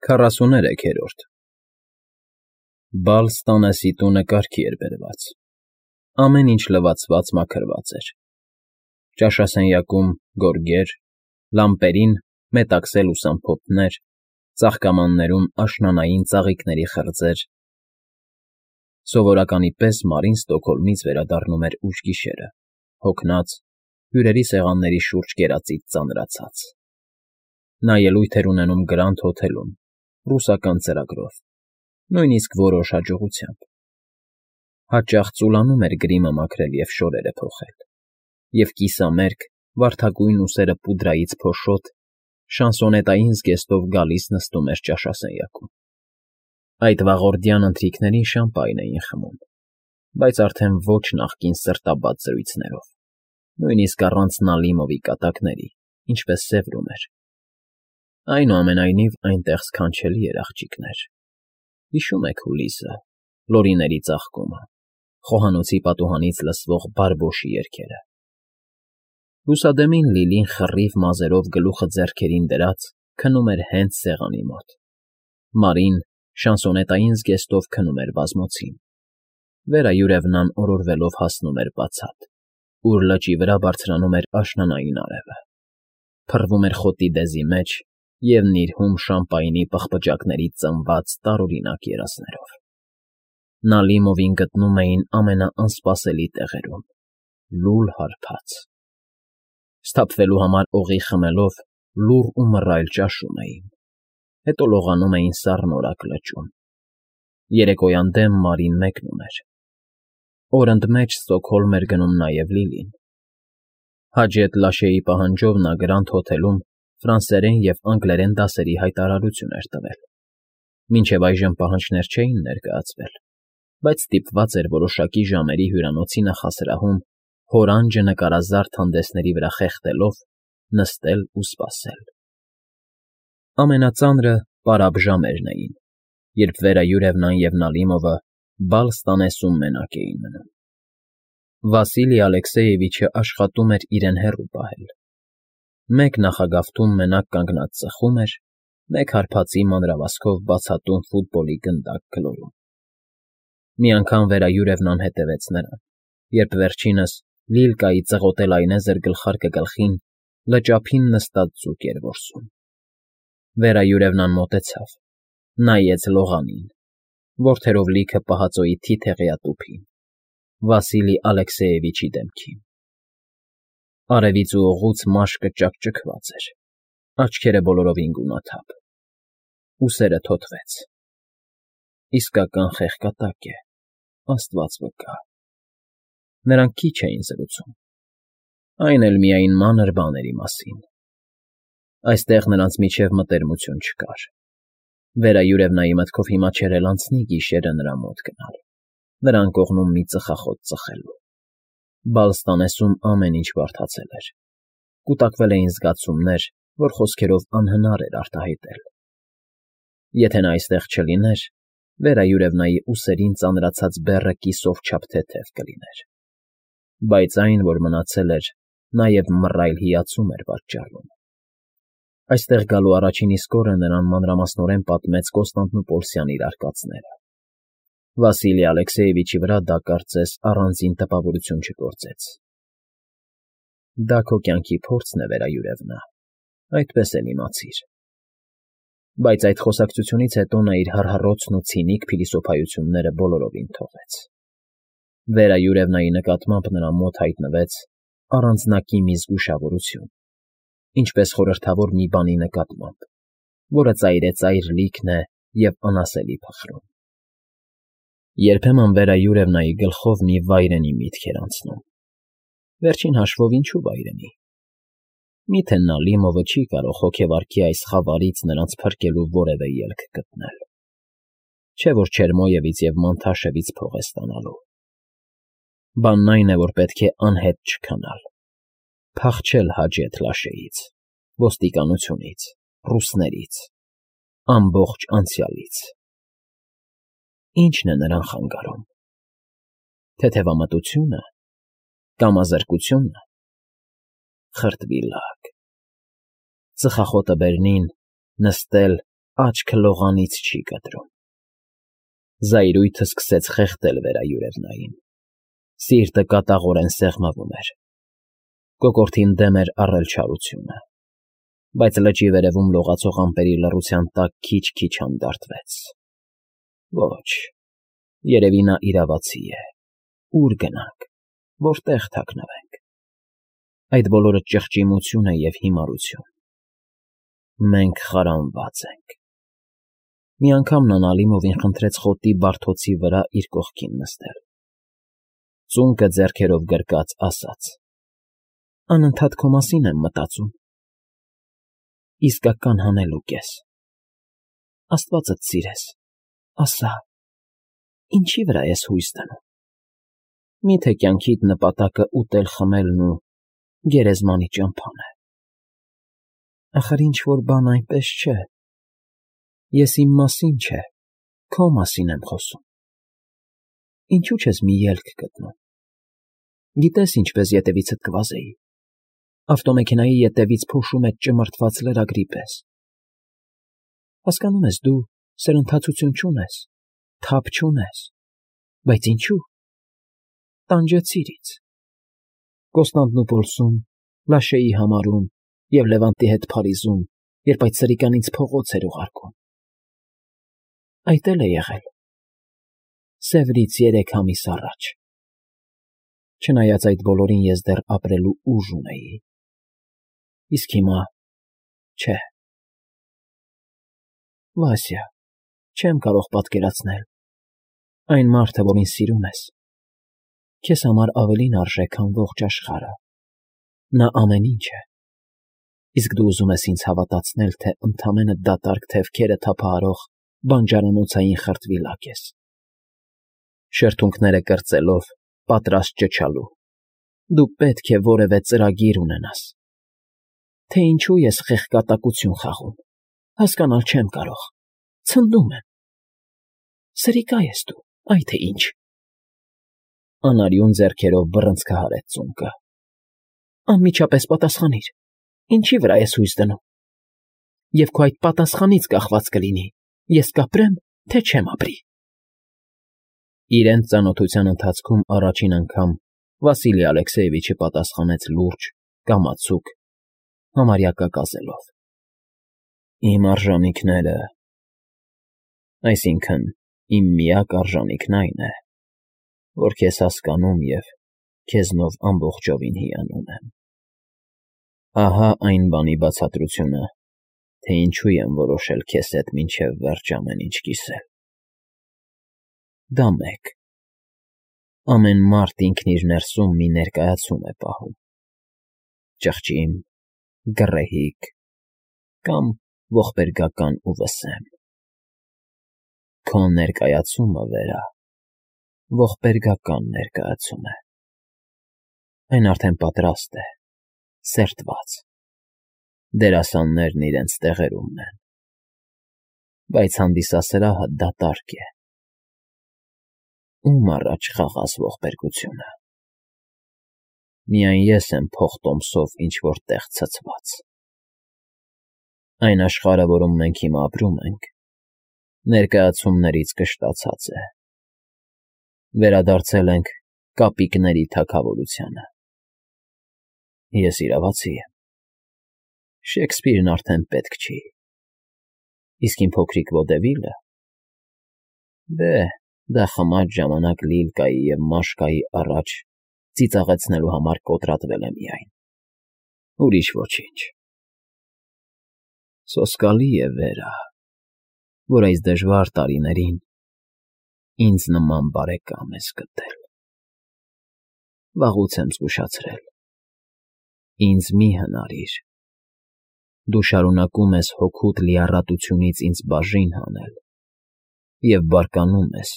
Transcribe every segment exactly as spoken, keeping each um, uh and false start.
Քառասուներեքերորդ Բալ ստանեսի տունը կարգի էր բերված, ամեն ինչ լվացված մաքրված էր, ճաշասենյակում՝ գորգեր, լամպերին մետաքսե լուսամփոփներ, ծաղկամաններում աշնանային ծաղիկների խրձեր. սովորականի պես Մարին Ստոկհոլմից վերադառնում էր ուշ գիշերը, հոգնած, հյուրերի սեղանների շուրջ կերածից ծանրացած. նա ելույթ էր ունենում Գրանդ հոթելում, ռուսական ծրագրով, նույնիսկ որոշ հաջողությամբ. հաճախ ծուլանում էր գրիմը մաքրել և շորերը փոխել, և կիսամերկ, վարդագույն ուսերը պուդրայից փոշոտ, շանսոնետային զգեստով գալիս նստում էր ճաշասենյակում. այդ վաղորդյան ընթրիքներին շամպայն էին խմում, բայց արդեն ոչ նախկին սրտաբաց զրույցներով, նույնիսկ առանց Նալիմովի կատակների, ինչպես սևրում էր. այնուամենայնիվ այնտեղ սքանչելի էր, աղջիկներ, հիշո՞ւմ եք հուլիսը, լորիների ծաղկումը, խոհանոցի պատուհանից լսվող բարբոշի երգերը… Լուսադեմին Լիլին խռիվ մազերով գլուխը ձեռքերին դրած քնում էր հենց սեղանի մոտ, Մարին շանսոնետային զգեստով քնում էր բազմոցին, վերայուրևնան օրորվելով հասնում էր բացատ, ուր լճի վրա բարձրանում էր աշնանային արևը, փռվում էր խոտի դեզի մեջ և նիրհում շամպայնի պղպջակներից ծնված տարօրինակ երազներով… Նալիմովին գտնում էին ամենաանսպասելի տեղերում, լուլ հարբած… Սթափվելու համար օղի խմելով լուռ ու մռայլ ճաշում էին, հետո լողանում էին սառնորակ լճում… Երեկոյան դեմ Մարին մեկնում էր… Օրընդմեջ Ստոկհոլմ էր գնում նաև Լիլին… Հաջեթ Լաշեի պահանջով նա Գրանդ հոթելում ֆրանսերեն և անգլերեն դասերի հայտարարություն էր տվել… Մինչև այժմ պահանջներ չէին ներկայացվել, բայց ստիպված էր որոշակի ժամերի հյուրանոցի նախասրահում հորանջը նկարազարդ հանդեսների վրա խեղդելով նստել ու սպասել… Ամենածանրը պարապ ժամերն էին, երբ վերայուրևնան և Նալիմովը բալ ստանեսում մենակ էին մնում… Վասիլի Ալեքսեևիչը աշխատում էր իրեն հեռու պահել, մեկ նախագավթում մենակ կանգնած ծխում էր, մեկ հարբածի մանրավազքով բացատում ֆուտբոլի գնդակ գլորում… Մի անգամ վերայուրևնան հետևեց նրան, երբ վերջինս Լիլկայի ծղոտե լայնեզր գլխարկը գլխին լճափին նստած ձուկ էր որսում… Վերայուրևնան մոտեցավ, նայեց լողանին, որդերով լիքը պահածոյի թիթեղյա տուփին, Վասիլի Ալեքսեևիչի դեմքին… Արևից ու օղուց մաշկը ճաքճքված էր, աչքերը բոլորովին գունաթափ, ուսերը թոթվեց… Իսկական խեղկատակ է, աստված վկա… Նրանք քիչ էին զրուցում, այն էլ միայն մանր բաների մասին… Այստեղ նրանց միջև մտերմություն չկար… Վերայուրևնայի մտքով հիմա չէր էլ անցնի գիշերը նրա մոտ գնալ, նրան կողմում մի ծխախոտ ծխելու… Բալ ստանեսում ամեն ինչ բարդացել էր, կուտակվել էին զգացումներ, որ խոսքերով անհնար էր արտահայտել… Եթե նա այստեղ չլիներ, վերայուրևնայի ուսերին ծանրացած բեռը կիսով չափ թեթև կլիներ… Բայց այն, որ մնացել էր, նաև մռայլ հիացում էր պատճառում… Այստեղ գալու առաջին իսկ օրը նրան մանրամասնորեն պատմեց Կոստանդնուպոլսյան իր արկածները… Վասիլի Ալեքսեևիչի վրա դա, կարծես, առանձին տպավորություն չգործեց… Դա քո կյանքի փորձն է, վերայուրևնա, այդպես էլ իմացիր… Բայց այդ խոսակցությունից հետո նա իր հառհռոցն ու ցինիկ փիլիսոփայությունները բոլորովին թողեց… Վերայուրևնայի նկատմամբ նրա մոտ հայտնվեց առանձնակի մի զգուշավորություն, ինչպես խորհրդավոր մի բանի նկատմամբ, որը ծայրեծայր լիքն է և անասելի փխրուն… Երբեմն Վերայուրևնայի գլխով մի վայրենի միտք էր անցնում… Վերջին հաշվով ինչու՞ վայրենի… Մի՞թե Նալիմովը չի կարող հոգեվարքի այս խավարից նրանց փրկելու որևէ ելք գտնել… Չէ՞ որ Չերմոյևից և Մանթաշևից փող է ստանալու… Բանն այն է, որ պետք է անհետ չքանալ, փախչել Հաջեթ Լաշեից, ոստիկանությունից, ռուսներից, ամբողջ անցյալից… Ի՞նչն է նրան խանգարում… Թեթևամտությո՞ւնը, կամազրկությո՞ւնը… Խրտվիլակ… Ծխախոտը բերնին, նստել, աչքը լողանից չի կտրում։ Զայրույթը սկսեց խեղդել վերայուրևնային։ Սիրտը կատաղորեն սեղմվում էր։ Կոկորդին դեմ էր առել չարությունը, բայց լճի վերևում լողացող ամպերի լռության տակ քիչ-քիչ հանդարտվեց։ Ոչ, երևի նա իրավացի է։ Ո՞ւր գնանք, որտեղ թաքնվենք։ Այդ բոլորը ճղճիմություն է և հիմարություն։ Մենք խարանված ենք։ Մի անգամ նա Ալիմովին խնդրեց խոտի բարդոցի վրա իր կողքին նստել։ Ծունկը ձեռքերով գրկած ասաց. «Անընդհատ քո մասին եմ մտածում։ Իսկական հանելուկ ես։ Աստվածդ սիրես, ասա, ինչի վրա ես հույս դնում։ Մի՞թե կյանքիդ նպատակը ուտել֊խմելն ու գերեզմանի ճամփան է։ Ախր ինչ֊որ բան այնպես չէ։ Ես իմ մասին չէ, քո մասին եմ խոսում։ Ինչու՞ չես մի ելք գտնում։ Գիտես ինչպես ետևիցդ կվազեի։ Ավտոմեքենայի ետևից փոշու մեջ ճմրթված լրագրի պես։ Հասկանում ես, դու սրընթացություն չունես, թափ չունես, բայց ինչու՞։ Տանջեցիր ինձ։ Կոստանդնուպոլսում, Լաշեի համարում և Լևանտի հետ Փարիզում, երբ այդ սրիկան ինձ փողոց էր ուղարկում։ Այդ էլ է եղել։ Սևրից երեք ամիս առաջ։ Չնայած այդ բոլորին ես դեռ ապրելու ուժ ունեի։ Իսկ հիմա՝ չէ։ Վասյա, չեմ կարող պատկերացնել։ Այն մարդը, որին սիրում ես, քեզ համար ավելին արժե, քան ողջ աշխարհը։ Նա ամեն ինչ է։ Իսկ դու ուզում ես ինձ հավատացնել, թե ընդամենը դատարկ թևքերը թափահարող բանջարանոցային խրտվիլակ ես։ Շրթունքները կրծելով, պատրաստ ճչալու։ Դու պետք է որևէ ծրագիր ունենաս։ Թե ինչու ես խեղկատակություն խաղում, հասկանալ չեմ կարող։ Ցնդում եմ։ Սրիկա ես դու, այ թե ինչ։ Անարյուն ձեռքերով բռնցքահարեց ծունկը։ Անմիջապես պատասխանիր, ինչի վրա ես հույս դնում։ Եվ քո այդ պատասխանից կախված կլինի, ես կապրեմ, թե չեմ ապրի։ Իրենց ծանոթության ընթացքում առաջին անգամ Վասիլի Ալեքսեևիչը պատասխանեց լուրջ, կամացուկ, համարյա կակազելով. Իմ արժանիքները… Այսինքն, իմ միակ արժանիքն այն է, որ քեզ հասկանում և քեզնով ամբողջովին հիանում եմ։ Ահա այն բանի բացատրությունը, թե ինչու եմ որոշել քեզ հետ մինչև վերջ ամեն ինչ կիսել։ Դա մեկ. ամեն մարդ ինքն իր ներսում մի ներկայացում է պահում. ճղճիմ, գռեհիկ կամ ողբերգական ու վսեմ։ Քո ներկայացումը, Վերա, ողբերգական ներկայացում է։ Այն արդեն պատրաստ է, սերտված։ Դերասաններն իրենց տեղերումն են։ Բայց հանդիսասրահը դատարկ է։ Ում առաջ խաղաս ողբերգությունը։ Միայն ես եմ փոխտոմսով ինչ֊որ տեղ ցցված։ Այն աշխարհը, որում մենք հիմա ապրում ենք, ներկայացումներից կշտացած է։ Վերադարձել ենք կապիկների թագավորությանը։ Ես իրավացի եմ։ Շեքսպիրն արդեն պետք չի։ Իսկ իմ փոքրիկ Վոդևիլը… Դե, դա խմած ժամանակ Լիլկայի և Մաշկայի առաջ ծիծաղեցնելու համար կոտրատվել է միայն, ուրիշ ոչինչ։ Սոսկալի է, Վերա, որ այս դժվար տարիներին ինձ նման բարեկամ ես գտել։ Վաղուց եմ զգուշացրել. ինձ մի հնարիր։ Դու շարունակում ես հոգուդ լիառատությունից ինձ բաժին հանել և բարկանում ես,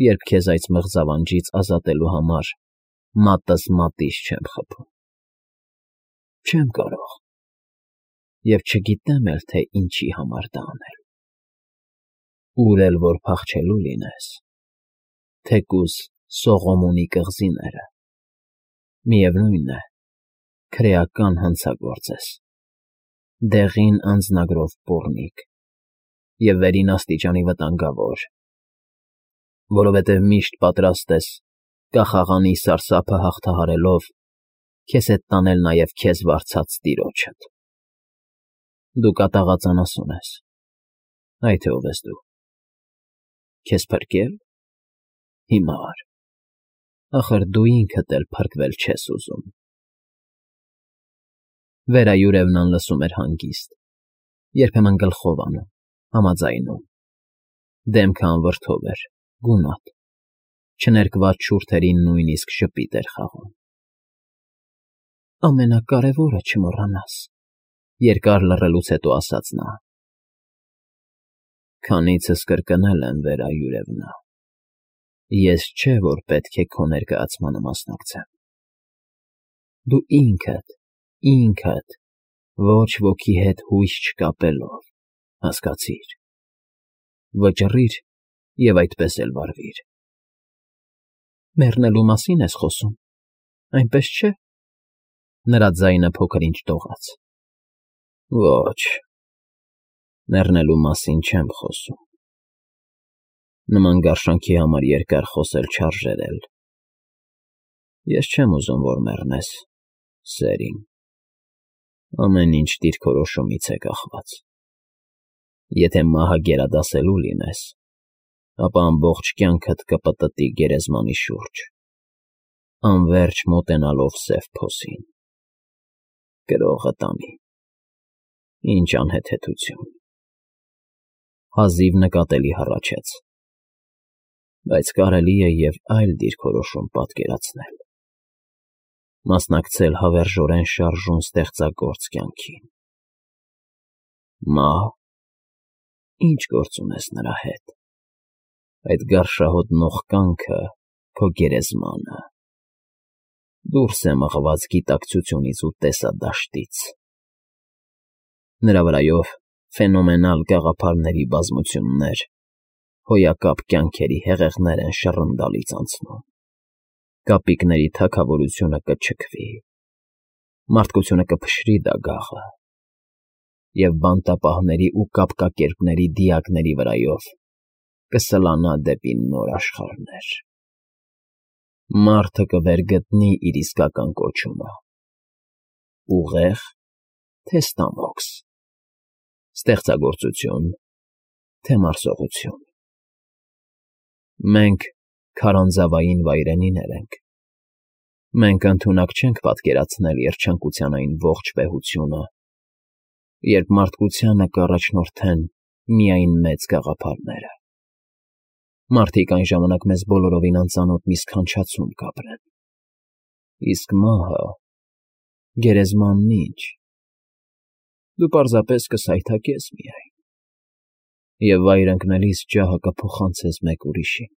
երբ քեզ այս մղձավանջից ազատելու համար մատս մատից չեմ խփում։ Չեմ կարող և չգիտեմ էլ, թե ինչի համար դա անել։ Ուր էլ որ փախչելու լինես, թեկուզ Սողոմոնի կղզիները, միևնույն է, քրեական հանցագործ ես, դեղին անձնագրով պոռնիկ, և վերին աստիճանի վտանգավոր, որովհետև միշտ պատրաստ ես, կախաղանի սարսափը հաղթահարելով, քեզ հետ տանել նաև քեզ վարձած տիրոջդ։ Դու կատաղած անասուն ես, այ թե ով ես դու, քեզ փրկե՞լ, հիմար, ախր դու ինքդ էլ փրկվել չես ուզում։ Վերայուրևն անլսում էր հանգիստ, երբեմն գլխով անում, համաձայնում, դեմքը անվրդով էր, գունատ, չներկված շուրթերին նույնիսկ ժպիտ էր խաղում։ Ամենակարևորը չմոռանաս, երկար լռելուց հետո ասաց նա. Քանիցս կրկնել եմ, Վերայուրևնա, ես չէ, որ պետք է քո ներկայացմանը մասնակցեմ։ Դու ինքդ, ինքդ, ոչ ոքի հետ հույս չկապելով, հասկացիր, վճռիր և այդպես էլ վարվիր։ Մեռնելու մասին ես խոսում, այնպես չէ՞։ Նրա ձայնը փոքր֊ինչ դողաց։ Ոչ, մեռնելու մասին չեմ խոսում։ Նման գարշանքի համար երկար խոսել չարժեր էլ։ Ես չեմ ուզում, որ մեռնես, սեր իմ, ամեն ինչ դիրքորոշումից է կախված։ Եթե մահը գերադասելու լինես, ապա ամբողջ կյանքդ կպտտի գերեզմանի շուրջ, անվերջ մոտենալով սև փոսին։ Գրողը տանի, ինչ անհեթեթություն։ Հազիվ նկատելի հառաչեց։ Բայց կարելի է և այլ դիրքորոշում պատկերացնել, մասնակցել հավերժորեն շարժուն ստեղծագործ կյանքին։ Մահ, ի՞նչ գործ ունես նրա հետ, այդ գարշահոտ նողկանքը քո գերեզմանը, դուրս է մղված գիտակցությունից ու տեսադաշտից։ Նրա վրայով ֆենոմենալ գաղափարների բազմություններ, հոյակապ կյանքերի հեղեղներ են շռնդալից անցնում, կապիկների թագավորությունը կչքվի, մարդկությունը կփշրի դագաղը, և բանտապահների ու կապկակերպների դիակների վրայով կսլանա դեպի նոր աշխարհներ։ Մարդը կվերգտնի իր իսկական կոչումը՝ ուղեղ, թե ստամոքս, ստեղծագործություն, թե մարսողություն։ Մենք քարանձավային վայրենիներ ենք։ Մենք ընդունակ չենք պատկերացնել երջանկության այն ողջ վեհությունը, երբ մարդկությանը կառաջնորդեն միայն մեծ գաղափարները։ Մարդիկ այն ժամանակ մեզ բոլորովին անծանոթ մի սքանչացում կապրեն։ Իսկ մահը, գերեզմանն ի՞նչ։ Դու պարզապես կսայթաքես միայն, և վայր ընկնելիս ջահը կփոխանցես մեկ ուրիշին։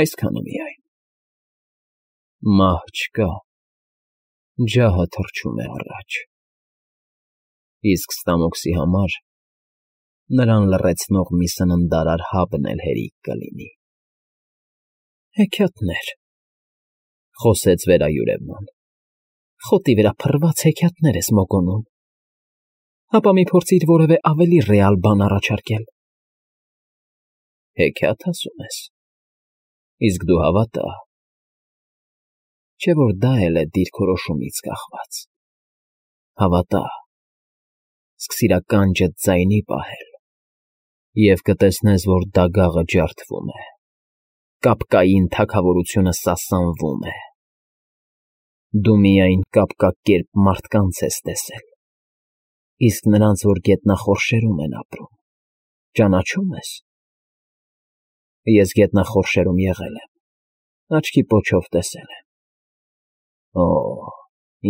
Այսքանը միայն։ Մահ չկա, ջահը թռչում է առաջ։ Իսկ ստամոքսի համար նրան լռեցնող մի սննդարար հաբն էլ հերիք կլինի։ Հեքիաթներ, խոսեց Վերայուրևն, խոտի վրա փռված հեքիաթներ ես մոգոնում։ Հապա մի փորձիր որևէ ավելի ռեալ բան առաջարկել։ Հեքիաթ ասում ես, իսկ դու հավատա։ Չէ՞ որ դա էլ է դիրքորոշումից կախված։ Հավատա, սկսիր ականջդ ձայնի պահել, և կտեսնես, որ դագաղը ջարդվում է, կապկային թագավորությունը սասանվում է։ Դու միայն կապկակերպ մարդկանց ես տեսել, իսկ նրանց, որ գետնախորշերում են ապրում, ճանաչո՞ւմ ես։ Ես գետնախորշերում եղել եմ, աչքի պոչով տեսել եմ։ Օ,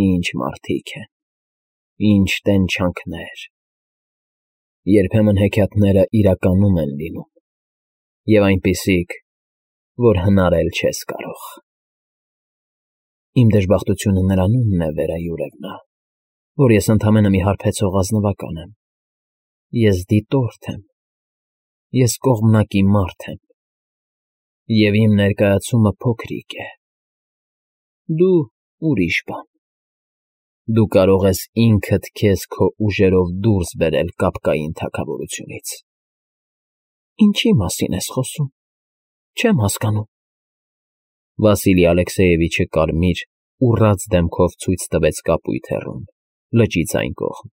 ինչ մարդիկ են, ինչ տենչանքներ։ Երբեմն հեքիաթները իրականում են լինում, և այնպիսիք, որ հնարել չես կարող։ Իմ դժբախտությունը նրանումն է, Վերայուրևնա, որ ես ընդամենը մի հարբեցող ազնվական եմ։ Ես դիտորդ եմ, ես կողմնակի մարդ եմ, և իմ ներկայացումը փոքրիկ է, դու ուրիշ բան։ Դու կարող ես ինքդ քեզ քո ուժերով դուրս բերել կապկային թագավորությունից։ Ինչի՞ մասին ես խոսում, չեմ հասկանում։ Վասիլի Ալեքսեևիչը կարմիր, ուռած դեմքով ցույց տվեց կապույտ հեռուն, լճից այն կողմ։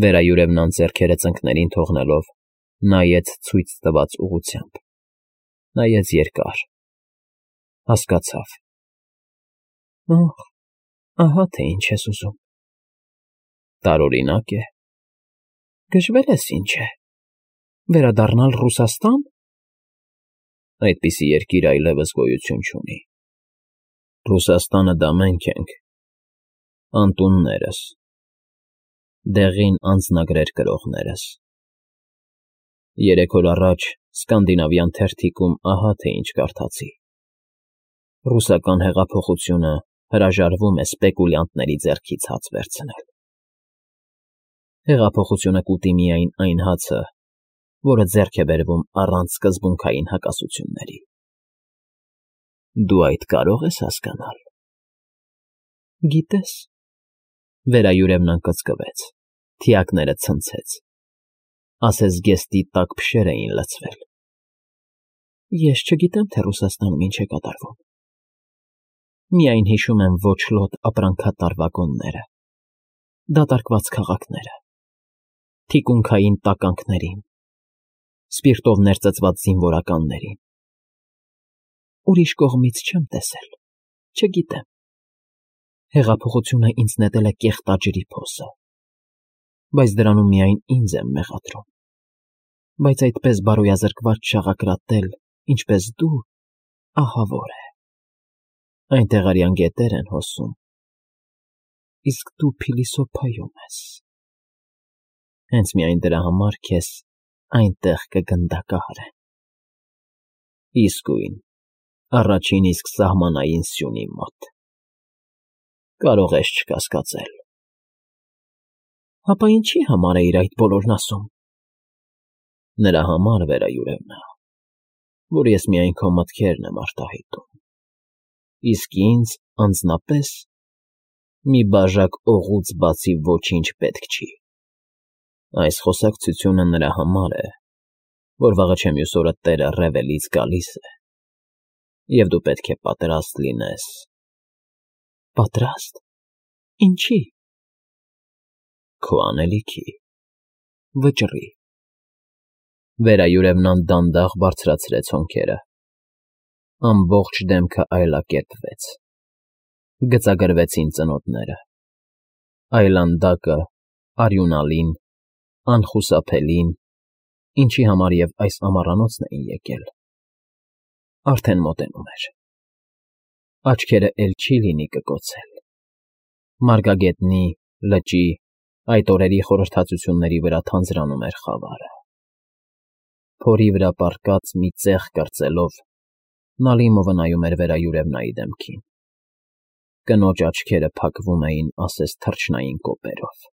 Վերայուրևն անձեռքերը ծնկներին թողնելով, նայեց ցույց տված ուղղությամբ, նայեց երկար, հասկացավ. «Ահ, ահա թե ինչ ես ուզում»։ Տարօրինակ է։ Գժվել ես ինչ է, վերադառնալ Ռուսաստա՞ն։ Այդպիսի երկիր այլևս գոյություն չունի։ Ռուսաստանը դա մենք ենք, անտուններս, դեղին անձնագրեր կրողներս։ Երեք օր առաջ Սկանդինավյան թերթիկում ահա թե ինչ կարդացի. ռուսական հեղափոխությունը հրաժարվում է սպեկուլյանտների ձեռքից հաց վերցնել։ Հեղափոխությունը կուտի միայն այն հացը, որը ձեռք է բերվում առանց սկզբունքային հակասությունների։ Դու այդ կարո՞ղ ես հասկանալ։ Գիտես, վերայուրևն անկծկվեց, թիակները ցնցեց, ասես գեստի տաք փշեր էին լցվել։ Ես չգիտեմ, թե Ռուսաստանում ինչ է կատարվում։ Միայն հիշում եմ ոչլոտ ապրանքատար վագոնները, դատարկված քաղաքները, թիկունքային տականքներին, սպիրտով ներծծված զինվորականներին։ Ուրիշ կողմից չեմ տեսել, չգիտեմ։ Հեղափոխությունը ինձ նետել է կեղտաջրի փոսը, բայց դրանում միայն ինձ եմ մեղադրում։ Բայց այդպես բարոյազրկված շաղակրատել, ինչպես դու, ահավոր է։ Այնտեղ արյան գետեր են հոսում, իսկ դու փիլիսոփայում ես։ Հենց միայն դրա համար քեզ այնտեղ կգնդակահարեն։ Իսկույն, առաջին իսկ սահմանային սյունի մոտ։ Կարող ես չկասկածել։ Հապա ինչի՞ համար էիր այդ բոլորն ասում։ Նրա համար, վերայուրևնա, որ ես միայն քո մտքերն եմ արտահայտում, իսկ ինձ, անձնապես, մի բաժակ օղուց բացի ոչինչ պետք չի։ Այս խոսակցությունը նրա համար է, որ վաղը չէ մյուս օրը տերը Ռևելից գալիս է, և դու պետք է պատրաստ լինես։ Պատրաստ։ Ինչի։ Քո անելիքի, վճռի։ Վերայուրևնան դանդաղ բարձրացրեց հոնքերը։ Ամբողջ դեմքը այլակերպվեց։ Գծագրվեցին ծնոտները։ Այլանդակը, արյունալին, անխուսափելին, ինչի համար և այս ամառանոցն էին եկել, արդեն մոտենում էր։ Աչքերը էլ չի լինի կկոցել։ Մարգագետնի, լճի, այդ օրերի խորհրդածությունների վրա թանձրանում էր խավարը։ Փորի վրա պառկած մի ծեղ կրծելով, Նալիմովը նայում էր վերայուրևնայի դեմքին։ Կնոջ աչքերը փակվում էին ասես թռչնային կոպերով։